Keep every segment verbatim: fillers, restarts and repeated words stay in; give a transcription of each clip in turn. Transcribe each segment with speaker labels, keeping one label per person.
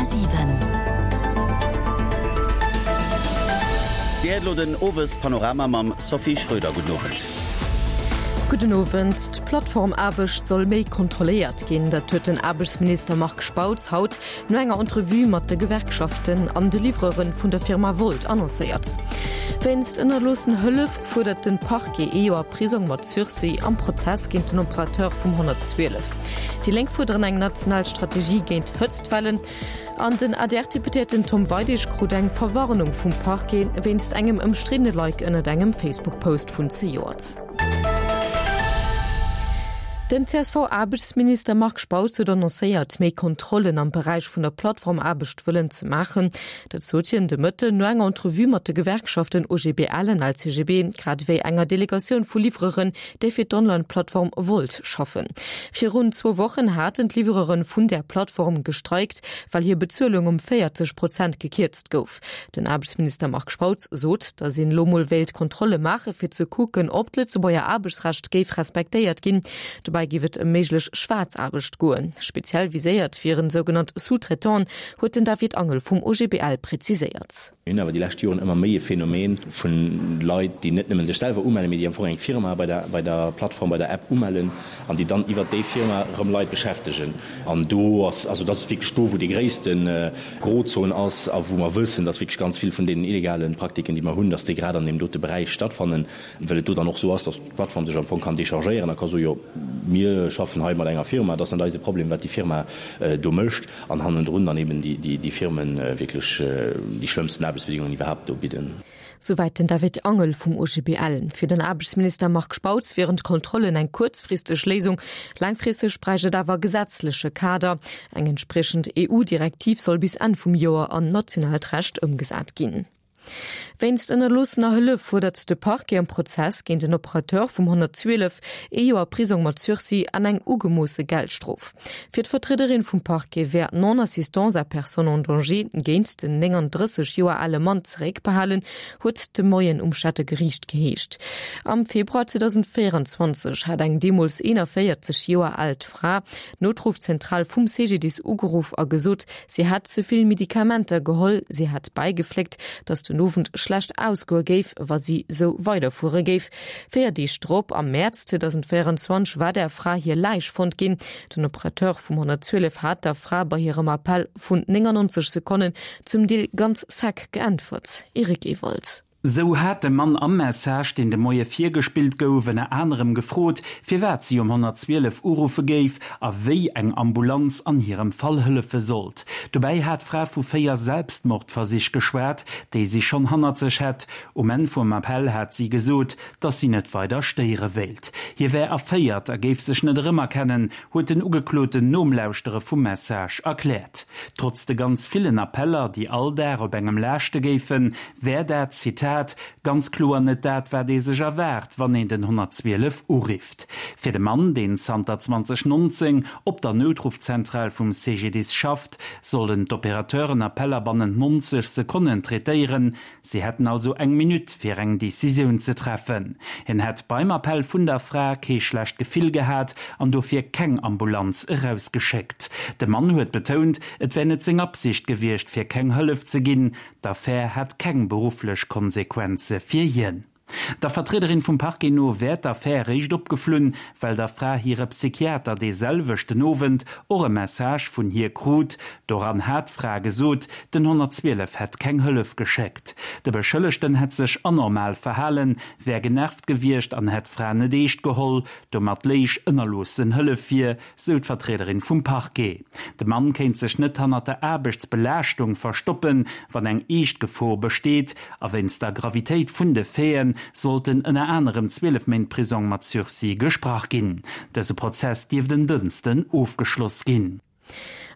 Speaker 1: Komma siwen.
Speaker 2: Dir héiert elo den Owespanorama mam Sophie Schröder. Gudden Owend.
Speaker 3: Gudden Owend. D'Plattformaarbecht soll méi kontrolléiert ginn. Dat huet den Aarbechtsminister Marc Spautz haut no enger Entrevue mat de Gewerkschaften an de Livreuren vun der Firma Wolt annoncéiert. Wéinst ënnerloossen Hëllef fuerdert den Parquet ee Joer Prisong mat Sursis am Prozess géint den Operateur vum honnertzwielef. Déi Lénk fuerderen eng national Strategie géint Hëtztwellen. An den A D R-Deputéierten Tom Weidig krut eng Verwarnung vum Parquet wéinst engem ëmstriddene Like ënnert engem Facebook-Post vun zejoert. Den C S V-Aarbechtsminister Marc Spautz huet annoncéiert, méi Kontrollen am Beräich vun der Plattformaarbecht wëllen ze maachen. Dat sot hien de Mëtten no enger Entrevue mat de Gewerkschaften O G B L an L C G B, grad ewéi enger Delegatioun vu Livreuren, déi fir d'Online-Plattform Wolt schaffen. Virun zwou Wochen haten d'Livreuren vun där Plattform gestreikt, well hir Bezuelung ëm véierzeg Prozent gekierzt gouf. Den Aarbechtsminister Marc Spautz sot, datt een elo mol wéilt Kontrolle maache fir ze kucken, ob d'Lëtzebuerger Aarbechtsrecht géif respektéiert ginn. Dobäi géif et ëm méiglech Schwaarzaarbecht goen. Speziell viséiert wieren sougenannt Sous-traitanten, huet den David Angel vum O G B L preziséiert.
Speaker 4: Mir hunn awer déi lescht Joren ëmmer méi e Phänomen vu Leit, déi net nëmme sech selwer umellen, mee déi am Fong eng Firma bei der, bei der Plattform, bei der App umellen an déi dann iwwert déi Firma erëm Leit beschäftegen. An do ass, also dat ass wierklech do, wou déi gréisste Grozon ass a wou mer wëssen, dass wierklech ganz vill vun deenen illegale Praktiken, déi mer hunn, dass déi grad an deem dote Beräich stattfannen, well et do dann och esou ass, dass d'Plattform sech am Fong kann dechargéieren a ka soen, jo, mir schaffen hei mat enger Firma, dat ass net eise Problem, wat déi Firma do mécht, an hannendrun dann eben déi Firme wierklech déi schlëmmsten Aarbechtsbedingungen iwwerhaapt do bidden.
Speaker 3: Souwäit den David Angel vum O G B L. Fir den Aarbechtsminister Marc Spautz wieren d'Kontrollen eng kuerzfristeg Léisung, laangfristeg bräicht et awer e gesetzleche Kader. Eng entspriechend E U-Direktiv soll bis Enn vum Joer an nationaalt Recht ëmgesat ginn. Wéinst ënnerloossener Hëllef fuerdert de Parquet am Prozess géint den Operateur vum honnertzwielef ee Joer Prisong mat Sursis an eng ugemoosse Geldstrof. Fir d'Vertriederin vum Parquet wär d'Non-assistance à personne en danger géint den nénganddrësseg Joer ale Mann zeréckbehalen, huet de Moien um Stater Geriicht geheescht. Am Februar zweedausendvéieranzwanzeg hat eng deemools eenavéierzeg Joer al Fra d'Noutruffzentral vum C G D I S ugeruff a gesot, si hätt ze vill Medikamenter geholl. Si hat bäigefléckt, datt den Owend schlecht ausgoe géif, wa si sou weiderfuere géif. Véier Deeg drop, am Mäerz zweedausendvéieranzwanzeg, war der Fra hir Läich fonnt ginn. Den Operateur vum honnertzwielef hat der Fra bei hirem Appell vun néngannonzeg Sekonnen zum Deel ganz sec geäntwert. Eric Ewald.
Speaker 5: Sou hat de Mann am Message, deen de Moie virgespillt gouf, ënner anerem gefrot, firwat si um honnertzwielef uruffe géif a wéi eng Ambulanz an hirem Fall hëllefe sollt. Dobäi hat d'Fra vu véier Selbstmordversich geschwat, déi si schonn hannert sech hätt. Um Enn vum Appell hat si gesot, datt si net weider stéiere wéilt. Hie wär erféiert a géif sech net erëmerkennen, huet den Ugekloten nom Lauschtere vum Message erkläert. Trotz de ganz villen Appeller, déi all Dag op engem laaschte géifen, wär dat, Zitat, ganz kloer net dat, wat ee sech erwaart, wann een den honnertzwielef urifft. Fir de Mann, deen zanter zweedausendnonzéng op der Noutruffzentral vum C G D I S schafft, sollen d'Operateuren Appeller bannent neunzeg Sekonnen traitéieren. Si hätten also eng Minutt, fir eng Decisioun ze treffen. Hien hätt beim Appell vun der Fra kee schlecht Gefill gehat an dofir keng Ambulanz erausgeschéckt. De Mann huet betount, et wär net seng Absicht gewiescht, fir keng Hëllef ze ginn. D'Affär hätt keng berufflech Konsequenze fir hien. Der Vertriederin vum Parquet no wär d'Affär réischt opgeflunn, well der Fra hire Psychiater dee selwechten Owend och e Message vun hir krut. Doran hat d'Fra gesot, den honnertzwielef hätt keng Hëllef geschéckt. De Beschëllegten hätt sech anormal verhalen, wär genervt gewiescht an hätt d'Fra net eescht geholl. Domat léich ënnerloossen Hëllef vir, sou d'Vertriederin vum Parquet. De Mann kéint sech net hannert der Aarbechtsbelaaschtung verstoppen, wann eng eescht Gefor besteet, a wéinst der Gravitéit vun de Faiten sollten ënner anerem zwielef Méint Prisong mat Sursis gesprach ginn. Dëse Prozess dierft en Dënschden ofgeschloss ginn.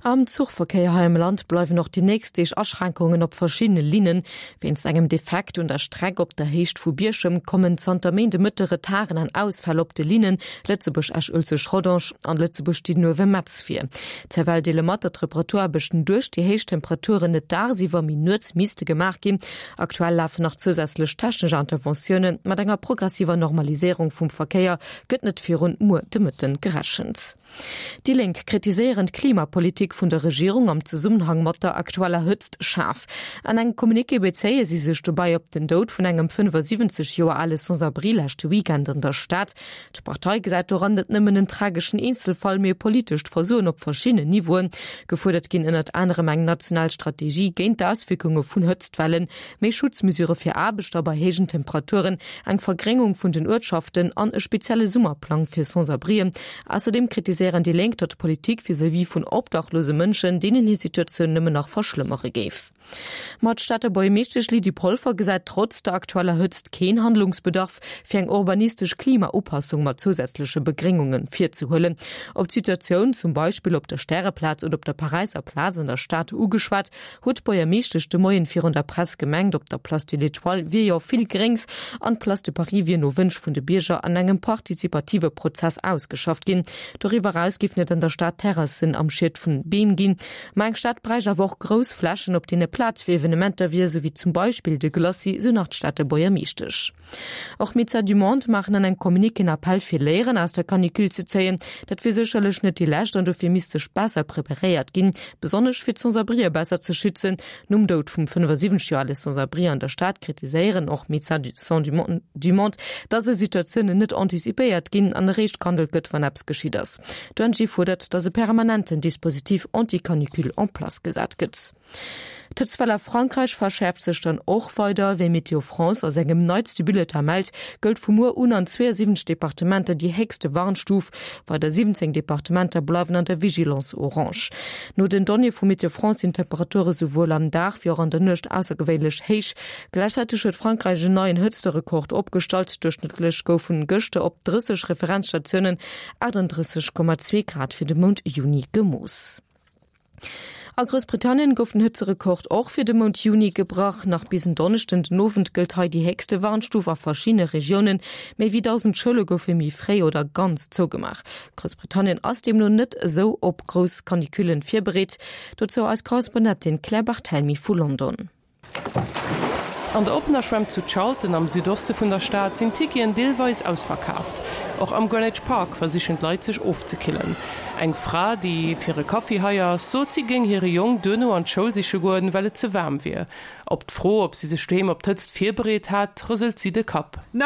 Speaker 3: Am Zuchverkéier hei am Land bleiwen och déi nächst Deeg Aschränkungen op verschiddene Linnen. Wéinst engem Defekt un der Streck op der Héicht vu Bierchem kommen zanter Méindemëtte Retarden an Ausfäll op de Linnen Lëtzebuerg-Esch-Uelzecht-Rodange an Lëtzebuerg-Diddenuewe-Metz vir. D'S F L deele mat, datt d'Reparaturaarbechten duerch déi héich Temperaturen net dagsiwwer, mee nuets misste gemaach ginn. Aktuell lafen nach zousätzlech technesch Interventiounen. Mat enger progressiver Normaliséierung vum Verkéier gëtt net virun muer de Mëtten gerechent. Déi Lénk kritiséieren d'Klimapolitik d'Klimapolitik vun der Regierung am Zesummenhang mat der aktueller Hëtzt schaarf. An engem Communiqué bezéie si sech dobäi op den Doud vun engem fënnefasiwwenzeg Joer ale Sans-abri leschte Weekend an der Stad. D'Partei gesäit doran net nëmmen en trageschen Eenzelfall, mee e politescht Versoen op verschiddenen Niveauen. Gefuerdert ginn ënnert anerem eng national Strategie géint d'Auswierkunge vun Hëtztwellen, méi Schutzmesure fir Aarbechter bei héijen Temperaturen, eng Vergréngung vun den Uertschaften an e spezielle Summerplang fir Sans-abrien. Ausserdeem kritiséieren déi Lénk, datt d'Politik vis-à-vis vun obdachlose Mënschen deenen hir Situatioun nëmmen nach verschlëmmere géif. Ma d'Stater Buergermeeschtesch Lydie Polfer gesäit trotz der aktueller Hëtzt keen Handlungsbedarf, fir eng urbanistesch Klimaupassung mat zousätzleche Begréngunge virzehuelen. Op d'Situatioun zum Beispill op der Stäreplaz oder op der Paräisser Plaz an der Stad ugeschwat, huet d'Buergermeeschtesch de Moien virun der Press gemengt, op der Place de l'Étoile wier jo vill Gréngs an d'Place de Paris wier no Wënsch vun de Bierger an engem partizipative Prozess ausgeschafft ginn. Doriwwer eraus géifen et an der Stad Terrassen am Schiet vun Beem ginn. Ma eng Stad bräicht awer och grouss Flächen, op deene Plaz fir Evenementer wier, sou wéi zum Beispill de Glacis, sou nach d'Stater Buergermeeschtesch. Och Médecins du Monde maachen an engem Communiqué en Appell fir Léieren aus der Canicule ze zéien. Dat wier sécherlech net déi lescht an dofir misst sech besser preparéiert ginn, besonnesch fir d'Sans-abrien besser ze schützen. Nom Doud vum fënnefasiwwenzeg Joer ale Sans-abri an der Stad kritiséieren och Médecins du Monde, dass esou Situatiounen net antizipéiert ginn an eréischt gehandelt gëtt, wann eppes geschitt ass. D'O N G fuerdert, dass e permanenten Dispositif anti-canicule en place gesat gëtt. D'Hëtztwell a Frankräich verschäerft sech dann och weider. Wéi Météo France a sengem neitste Bulletin mellt, gëllt vu muer un an zweeësiwwenzeg Departementer déi héchste Warnstuf. Weider siwwenzéng Departementer bleiwen an der Vigilance orange. No den Donnéeë vu Météo France sinn d'Temperature souwuel am Dag wéi och an der Nuecht aussergewéinlech héich. Gläichzäiteg huet Frankräich en neien Hëtzterekord opgestallt, Duerchschnëttlech goufen gëschter op drësseg Referenzstatiounen achtundrësseg Komma zwee Grad fir de Mount Juni gemooss. A Groussbritannien gouf den Hëtzerekord och fir de Mount Juni gebrach. Nach bis en Donneschden den Owend gëllt hei déi héchste Warnstuf a verschiddene Regiounen. Méi wéi dausend Schoule goufe méi fréi oder ganz zougemaach. Groussbritannien ass deemno net esou op grouss Canicullen virbereet. Dozou eis Korrespondentin Claire Barthelmy vu London.
Speaker 1: An der oppener Schwämm zu Charlton am Südoste vun der Stad sinn d'Ticketen deelweis ausverkaaft. Och am Greenwich Park versichen d'Leit sech ofzekillen. Eng Fra, déi fir e Kaffi hei ass, sot si géing hire Jong duerno an d'Schoul siche goen, well et ze waarm wier. Op d'Fro, ob si sech doheem op d'Hëtzt virbereet hat, rëselt si de Kapp. Nee,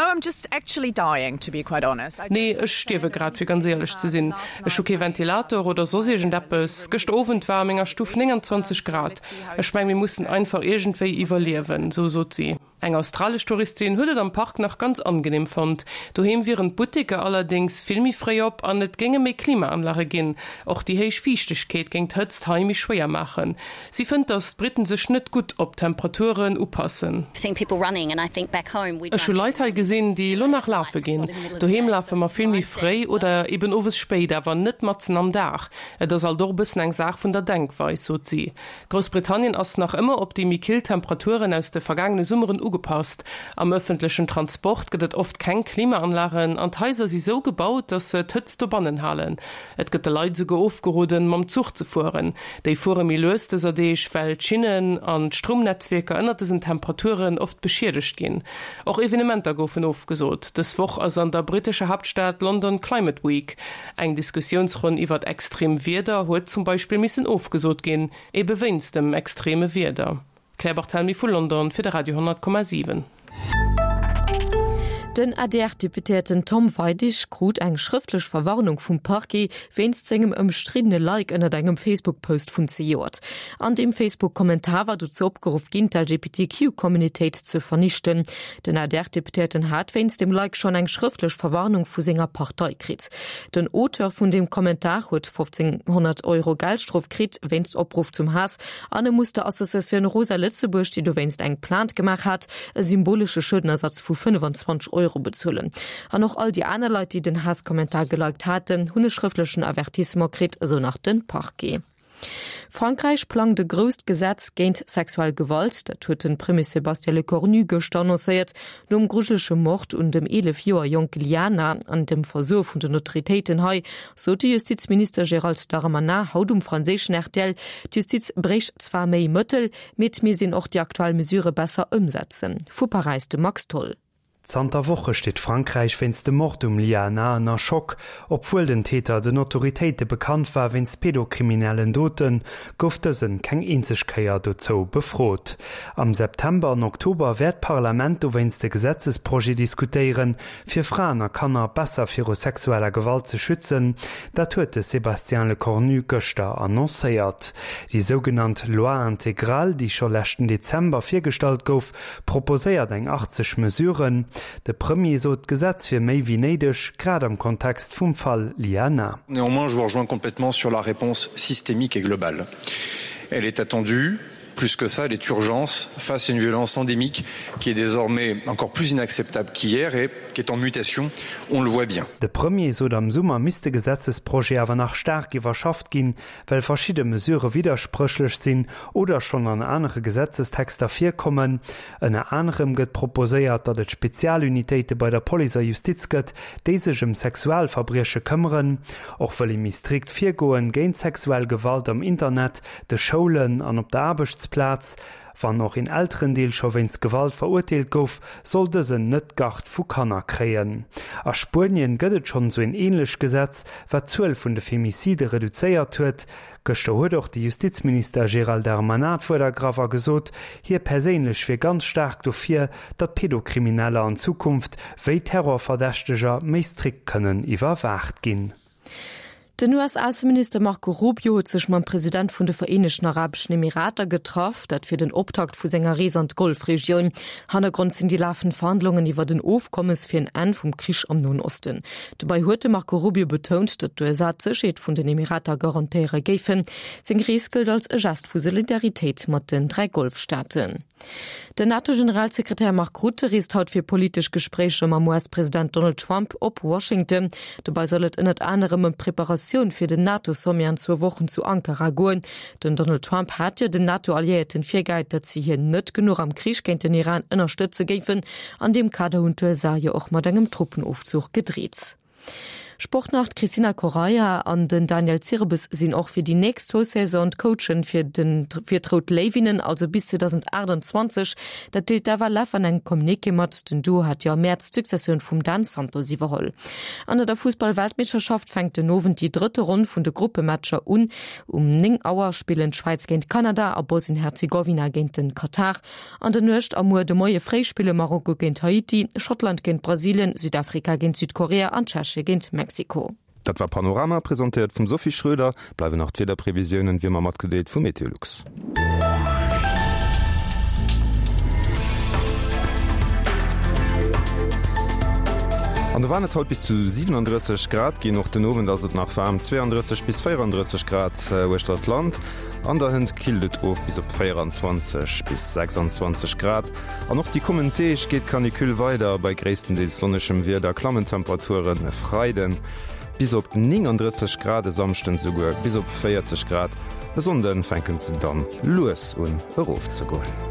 Speaker 1: ech stierwe grad, fir ganz éierlech ze sinn. Ech hu kee Ventilator oder soss iergendeppes. Gëschter Owend war a menger Stuff nénganzwanzeg Grad. Ech meng, mir mussen einfach iergendwéi iwwerliewen, sou sot si. Eng australesch Touristin huet et am Park nach ganz angenehm fonnt. Doheem wieren d'Butteker allerdéngs vill méi fréi op an et géinge méi Klimaanlage ginn. Och déi héich Fiichtegkeet géing d'Hëtzt hei méi schwéier maachen. Si fënnt, datt d'Britten sech net gutt op d'Temperaturen upassen. Ech hu Leit hei gesinn, déi elo nach lafe ginn. Doheem lafe mer vill méi fréi oder eben owes spéit, awer net matzen am Dag. Et ass alt och e bëssen eng Saach vun der Denkweis, sot si. Groussbritannien ass nach ëmmer op déi méi kill Temperaturen aus de vergaangene Summeren ugepasst. Am ëffentlechen Transport gëtt et oft keng Klimaanlagen an d'Haiser si sou gebaut, datt se d'Hëtzt dobannen halen. Et gëtt de Leit esouguer ofgeroden, mam Zuch ze fueren. Déi fuere méi lues dëser Deeg, well d'Schinnen an d'Stroumnetzwierker ënnert dësen Temperaturen oft beschiedegt ginn. Och Evenementer goufen ofgesot. Dës Woch ass an der brittescher Haaptstad London Climate Week. Eng Diskussiounsronn iwwert extrem Wieder huet zum Beispill missen ofgesot ginn, ebe wéinst dem extreme Wieder. Claire Barthelmy vu London fir de Radio honnert Komma siwen.
Speaker 3: Den A D R-Deputéierten Tom Weidig krut eng schrëftlech Verwarnung vum Parquet wéinst sengem ëmstriddene Like ënnert engem Facebook-Post vun zejoert. An deem Facebook-Kommentar war dozou opgeruff ginn, d'L G B T Q-Communitéit ze vernichten. Den A D R-Deputéierten hat wéinst dem Like schonn eng schrëftlech Verwarnung vu senger Partei kritt. Den Auteur vun deem Kommentar huet fofzénghonnert Euro Geldstrof kritt wéinst Opruff zum Haass an e muss der Associatioun Rosa Lëtzebuerg, déi dowéinst eng Plainte gemaach hat, e symbolesche Schuedenersatz vu fënnefenzwanzeg Euro bezuelen. An och all déi aner Leit, déi den Haasskommentar geliked haten, hunn e schrëftlechen Avertissement kritt, esou nach de Parquet. Frankräich plangt e grousst Gesetz géint sexuell Gewalt, dat huet de Premier Sébastien Lecornu gëschter annoncéiert. Nom grujelege Mord un dem eelef Joer jonke Liana an dem Versoe vun den Autoritéiten hei, sot de Justizminister Gérald Darmanin haut um franséischen R T L, d'Justiz bréicht zwar méi Mëttel, mee et misst een och déi aktuell Mesure besser ëmsetzen. Vu Paräis de Max Tholl.
Speaker 6: Zanter Woche steet Frankräich wéinst dem Mord um Lyana ënner Schock. Obwuel den Täter den Autoritéite bekannt war wéinst pedokriminellen Doten, gouf dësen keng eenzeg Kéier dozou befrot. Am September an Oktober wäert d'Parlament dowéinst e Gesetzesprojet diskutéieren, fir Fraen a Kanner besser viru sexueller Gewalt ze schützen. Dat huet de Sébastien Lecornu gëschter annoncéiert. Déi sougenannt Loi intégrale, déi scho leschten Dezember virgestallt gouf, proposéiert eng achtzeg Mesuren. De Premier sot, d'Gesetz wier méi wéi néideg, grad am Kontext vum Fall Liana.
Speaker 7: Néanmoins, je vous rejoins complètement sur la réponse systémique et globale. Elle est attendue, plus que ça, elle est urgence face à une violence endémique qui est désormais encore plus inacceptable qu'hier et qui est en mutation, on le voit bien.
Speaker 6: De Premier sot, am Summer misst de Gesetzesprojet awer nach staark iwwerschafft ginn, well verschidde Mesurë widderspréchlech sinn oder schonn an anere Gesetzestexter virkommen. Ënner anerem gëtt proposéiert, datt et Spezialunitéite bei der Police a Justiz gëtt, déi sech ëm Sexualverbrieche këmmeren. Och wëll ee méi strikt virgoen géint sexuell Gewalt am Internet, de Schoulen an op der Aarbechtsplaz. Wann och een Elterendeel scho wéinst Gewalt verurteelt gouf, soll dësen net d'Gard vu Kanner kréien. A Spuenien gëtt et schonn esou een änlecht Gesetz, wat d'Zuel vun de Femicide reduzéiert huet. Gëschter huet och de Justizminister Gérald Darmanin d'Wuert ergraff a gesot, hie perséinlech wier ganz staark dofir, datt Pedokrimineller an Zukunft wéi Terrorverdächteger méi strikt kënnen iwwerwaacht ginn.
Speaker 3: Den U S-Ausseminister Marco Rubio huet sech mam President vun de Vereenegten Arabeschen Emirater getraff, dat fir den Optakt vu senger Rees an d'Golfregioun. Hannergrond sinn déi lafend Verhandlungen iwwer en Ofkommes fir en Enn vum Krich am Noen Osten. Dobäi huet de Marco Rubio betount, datt d'U S A d'Sécherheet vun den Emirater garantéiere géifen. Seng Rees gëllt als e Gest vu Solidaritéit mat den dräi Golfstaaten. Den NATO-Generalsekretär Mark Rutte reest haut fir politesch Gespréicher mam U S-President Donald Trump op Washington. Dobäi soll et ënnert anerem ëm d'Preparatioun fir den NATO-Sommet an zwou Wochen zu Ankara goen. Den Donald Trump hat jo den NATO-Alliéierten virgehäit, datt si hien net genuch am Krich géint den Iran ënnerstëtze géifen. An deem Kader hunn d'U S A jo och mat engem Truppenofzuch gedreet. Sport nach, D'Cristina Correia an den Daniel Zirbes sinn och fir déi nächst zwou Saison d'Coachen fir den fir d'Rout Léiwinnen, also bis zweedausendachtundzwanzeg. Dat deelt d'F L F an engem Communiqué mat. Den Duo hat jo am Mäerz d'Successioun vum Dan Santos iwwerholl. An der Fussball-Weltmeeschterschaft fänkt den Owend déi drëtte Ronn vun de Gruppematcher un. Um néng Auer spillen d'Schwäiz géint Kanada a Bosnien-Herzegowina géint den Katar. An der Nuecht a muer de Moie fréi spille Marokko géint Haiti, Schottland géint Brasilien, Südafrika géint Südkorea an Tschechie géint Mexiko.
Speaker 8: Dat war Panorama, presentéiert vum Sophie Schröder. Bleiwen nach d'Wiederprevisiounen, wéi ëmmer matgedeelt vu Meteolux. An do waren et haut bis zu siwenandrësseg Grad ginn. Och den Owend ass et nach waarm, zweeandrësseg bis véierandrësseg Grad uechter d'Land. An der Hënt killt et of bis op véieranzwanzeg bis sechsanzwanzeg Grad. An och déi kommend Deeg geet d'Canicule weider, bei gréisstendeels sonnegem Wieder klammen d'Temperaturen e Freiden bis op néngandrësseg Grad, e Samschden esouguer bis op véierzeg Grad. E Sonnde fänke se dann lues un erofzegoen.